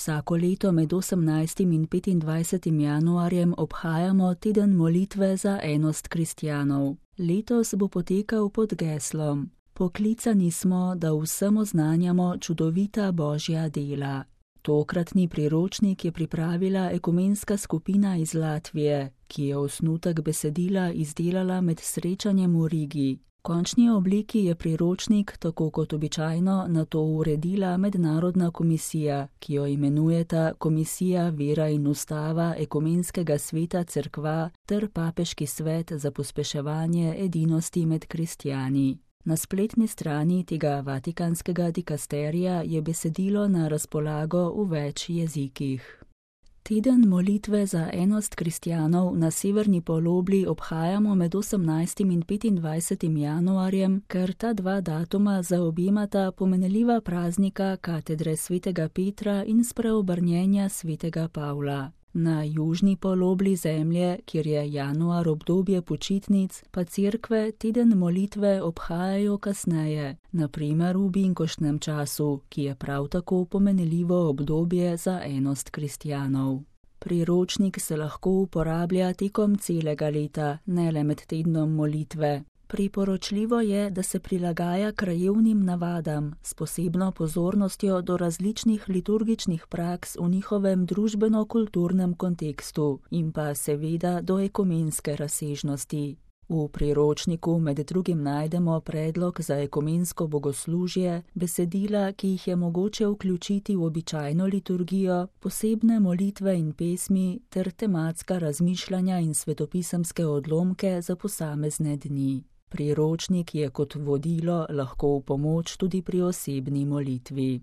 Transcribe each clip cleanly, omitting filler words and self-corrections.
Vsako leto med 18. in 25. januarjem obhajamo teden molitve za enost kristjanov. Letos bo potekal pod geslom: Poklicani smo, da vsem oznanjamo čudovita Božja dela. Tokratni priročnik je pripravila ekumenska skupina iz Latvije, ki je osnutek besedila izdelala med srečanjem v Rigi. V končni obliki je priročnik, tako kot običajno, nato uredila mednarodna komisija, ki jo imenujeta Komisija vera in ustava Ekumenskega sveta cerkva ter Papeški svet za pospeševanje edinosti med kristjani. Na spletni strani tega vatikanskega dikasterija je besedilo na razpolago v več jezikih. Teden molitve za enost kristjanov na severni polobli obhajamo med 18. in 25. januarjem, ker ta dva datuma zaobjemata pomenljiva praznika katedre svetega Petra in spreobrnjenja svetega Pavla. Na južni polobli zemlje, kjer je januar obdobje počitnic, pa cerkve teden molitve obhajajo kasneje, na primer v binkoštnem času, ki je prav tako pomenljivo obdobje za enost kristjanov. Priročnik se lahko uporablja tekom celega leta, ne le med tednom molitve. Priporočljivo je, da se prilagaja krajevnim navadam s posebno pozornostjo do različnih liturgičnih praks v njihovem družbeno-kulturnem kontekstu in pa seveda do ekumenske razsežnosti. V priročniku med drugim najdemo predlog za ekumensko bogoslužje, besedila, ki jih je mogoče vključiti v običajno liturgijo, posebne molitve in pesmi ter tematska razmišljanja in svetopisemske odlomke za posamezne dni. Priročnik je kot vodilo lahko v pomoč tudi pri osebni molitvi.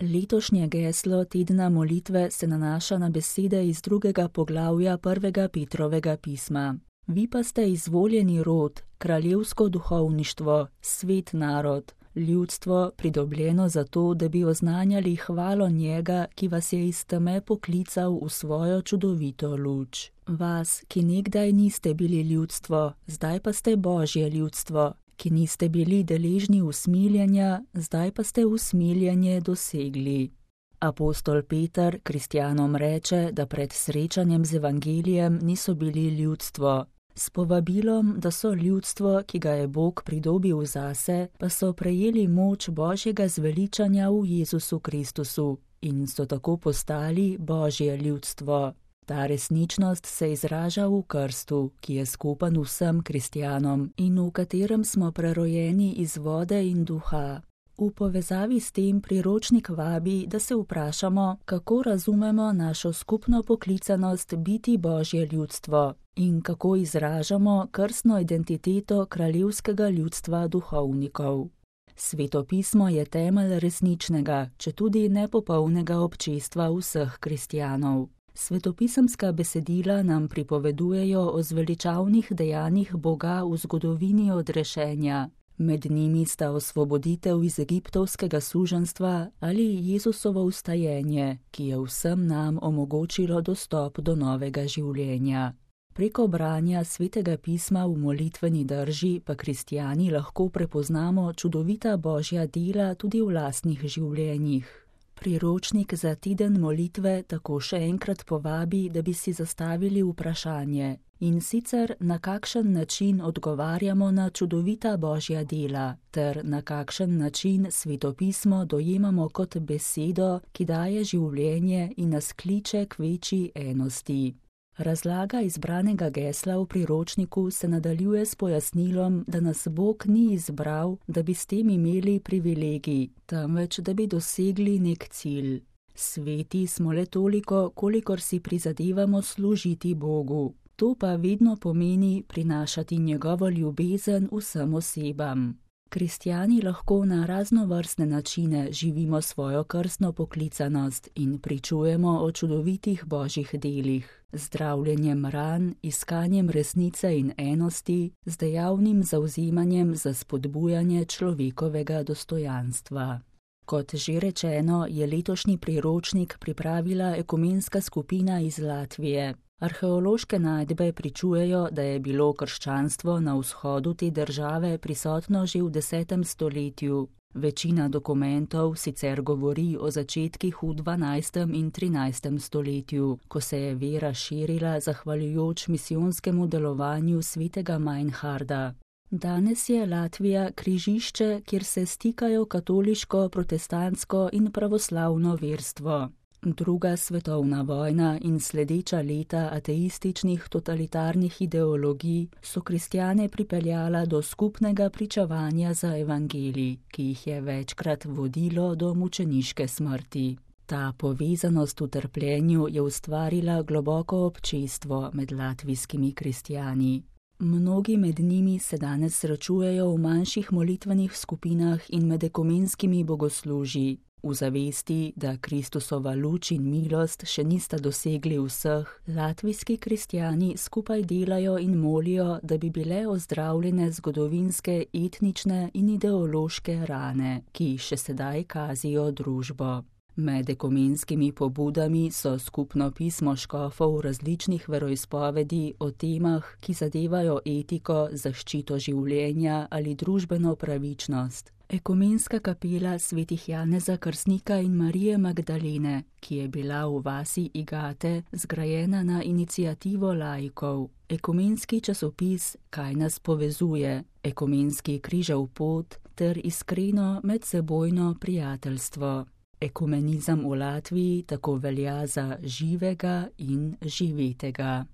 Letošnje geslo tedna molitve se nanaša na besede iz 2. poglavja 1. Petrovega pisma. Vi pa ste izvoljeni rod, kraljevsko duhovništvo, svet narod, ljudstvo pridobljeno zato, da bi oznanjali hvalo njega, ki vas je iz teme poklical v svojo čudovito luč. Vas, ki nekdaj niste bili ljudstvo, zdaj pa ste Božje ljudstvo, ki niste bili deležni usmiljenja, zdaj pa ste usmiljenje dosegli. Apostol Peter kristjanom reče, da pred srečanjem z evangelijem niso bili ljudstvo. S povabilom, da so ljudstvo, ki ga je Bog pridobil zase, pa so prejeli moč Božjega zveličanja v Jezusu Kristusu in so tako postali Božje ljudstvo. Ta resničnost se izraža v krstu, ki je skupen vsem kristjanom in v katerem smo prerojeni iz vode in duha. V povezavi s tem priročnik vabi, da se vprašamo, kako razumemo našo skupno poklicanost biti Božje ljudstvo in kako izražamo krstno identiteto kraljevskega ljudstva duhovnikov. Svetopismo je temelj resničnega, četudi nepopolnega občestva vseh kristjanov. Svetopisemska besedila nam pripovedujejo o zveličavnih dejanjih Boga v zgodovini odrešenja. Med njimi sta osvoboditev iz egiptovskega suženjstva ali Jezusovo vstajenje, ki je vsem nam omogočilo dostop do novega življenja. Preko branja svetega pisma v molitveni drži pa kristjani lahko prepoznamo čudovita Božja dela tudi v lastnih življenjih. Priročnik za teden molitve tako še enkrat povabi, da bi si zastavili vprašanje, in sicer na kakšen način odgovarjamo na čudovita Božja dela, ter na kakšen način svetopismo dojemamo kot besedo, ki daje življenje in nas kliče k večji enosti. Razlaga izbranega gesla v priročniku se nadaljuje s pojasnilom, da nas Bog ni izbral, da bi s tem imeli privilegij, temveč da bi dosegli nek cilj. Sveti smo le toliko, kolikor si prizadevamo služiti Bogu. To pa vedno pomeni prinašati njegovo ljubezen vsem osebam. Kristjani lahko na raznovrstne načine živimo svojo krstno poklicanost in pričujemo o čudovitih Božjih delih, zdravljenjem ran, iskanjem resnice in enosti, z dejavnim zavzemanjem za spodbujanje človekovega dostojanstva. Kot že rečeno, je letošnji priročnik pripravila ekumenska skupina iz Latvije. Arheološke najdbe pričujejo, da je bilo krščanstvo na vzhodu te države prisotno že v 10. stoletju. Večina dokumentov sicer govori o začetkih v 12. in 13. stoletju, ko se je vera širila zahvaljujoč misijonskemu delovanju svetega Meinharda. Danes je Latvija križišče, kjer se stikajo katoliško, protestantsko in pravoslavno verstvo. Druga svetovna vojna in sledeča leta ateističnih totalitarnih ideologij so kristjane pripeljala do skupnega pričevanja za evangelij, ki jih je večkrat vodilo do mučeniške smrti. Ta povezanost v trpljenju je ustvarila globoko občestvo med latvijskimi kristjani. Mnogi med njimi se danes srečujejo v manjših molitvenih skupinah in med ekumenskimi bogoslužji, v zavesti, da Kristusova luč in milost še nista dosegli vseh. Latvijski kristjani skupaj delajo in molijo, da bi bile ozdravljene zgodovinske, etnične in ideološke rane, ki še sedaj kazijo družbo. Med ekumenskimi pobudami so skupno pismo škofov različnih veroizpovedi o temah, ki zadevajo etiko, zaščito življenja ali družbeno pravičnost. Ekumenska kapela svetih Janeza Krstnika in Marije Magdalene, ki je bila v vasi Igate zgrajena na iniciativo laikov. Ekumenski časopis Kaj nas povezuje, ekumenski križev pot ter iskreno medsebojno prijateljstvo. Ekumenizem v Latviji tako velja za živega in živetega.